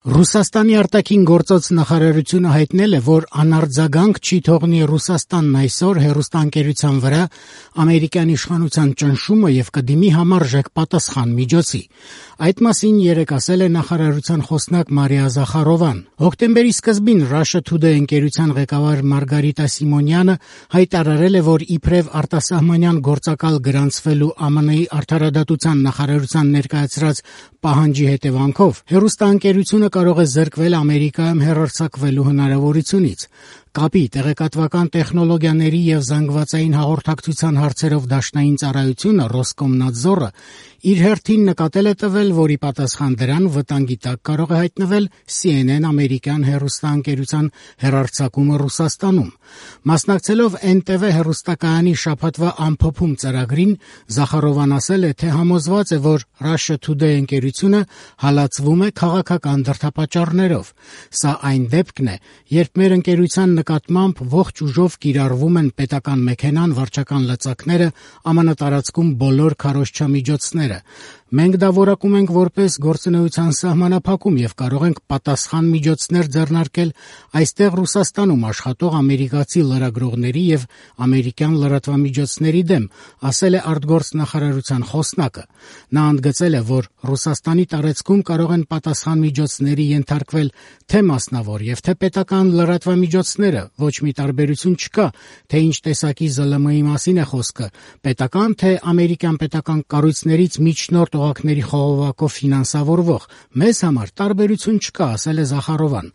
Ռուսաստանի արտաքին գործոց նախարարությունը հայտնել է, որ անարձագանք չի թողնի Ռուսաստանն այսօր հեռուստաընկերության վրա ամերիկյան իշխանության ճնշումը եւ կդիմի համարժեք պատասխան միջոցի։ Այդ մասին երեկ ասել է նախարարության խոսնակ Մարիա Զախարովան։ Հոկտեմբերի սկզբին Russia Today ընկերության ղեկավար Մարգարիտա Սիմոնյանը հայտարարել է, որ իբրև արտասահմանյան գործակալ գրանցվելու ԱՄՆ-ի արդարադատության նախարարության ներկայացրած պահանջի հետևանքով հեռուստաընկերությունը կարող է զրկվել Ամերիկայում հեռարձակվելու հնարավորությունից։ Կապի, տեղեկատվական տեխնոլոգիաների եւ զանգվածային հաղորդակցության հարցերով դաշնային ծառայությունը Ռոսկոմնադզորը իր հերթին նկատել է տվել, որի պատասխան դրան վտանգի տակ կարող է հայտնվել CNN ամերիկյան հեռուստաընկերության հեռարձակումը Ռուսաստանում։ Մասնակցելով NTV հեռուստակայանի շաբաթվա ամփոփում ծրագրին, Զախարովան ասել է, թե համոզված է, որ Russia Today ընկերությունը հալածվում է քաղաքական դրդապատճառներով։ Սա այն դեպքն է, երբ մեր ընկերության նկատմամբ ողջ ուժով կիրառվում են պետական մեքենան, վարչական լծակները, ԱՄՆ տարածքում բոլոր քարոզչամիջոցները։ Մենք դա որակում ենք որպես գործունեության սահմանափակում եւ կարող ենք պատասխան միջոցներ ձեռնարկել այստեղ Ռուսաստանում աշխատող ամերիկացի լրագրողների եւ ամերիկյան լրատվամիջոցների դեմ, ասել է արտգործնախարարության խոսնակը։ Նա ընդգծել է, որ Ռուսաստանի տարածքում կարող են պատասխան միջոցների ենթարկվել թե մասնավոր եւ թե պետական լրատվամիջոցները, ոչ մի տարբերություն չկա, թե ինչ տեսակի ԶԼՄ-ի մասին է խոսքը, պետական թե ամերիկյան պետական կառույցներից միջնորդ օղակների խողովակով ֆինանսավորվող։ Մեզ համար տարբերություն չկա, ասել է Զախարովան։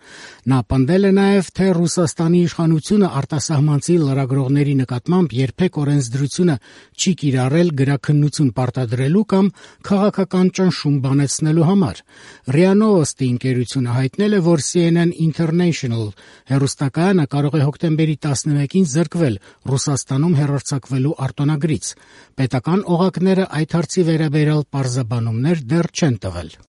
Նա պնդել է նաեւ, թե Ռուսաստանի իշխանությունը արտասահմանցի լրագրողների նկատմամբ երբեք օրենսդրությունը չի կիրառել գրաքննություն պարտադրելու կամ քաղաքական ճնշում բանեցնելու համար։ ՌԻԱ Նովոստի ընկերությունը հայտնել է, որ CNN International հեռուստակայանը կարող է հոկտեմբերի 11-ին զրկվել Ռուսաստանում հեռարձակվելու արտոնագրից։ Պետական օղակները այդ հարցի վերաբերյալ պարզաբանումներ դեռ չեն տվել։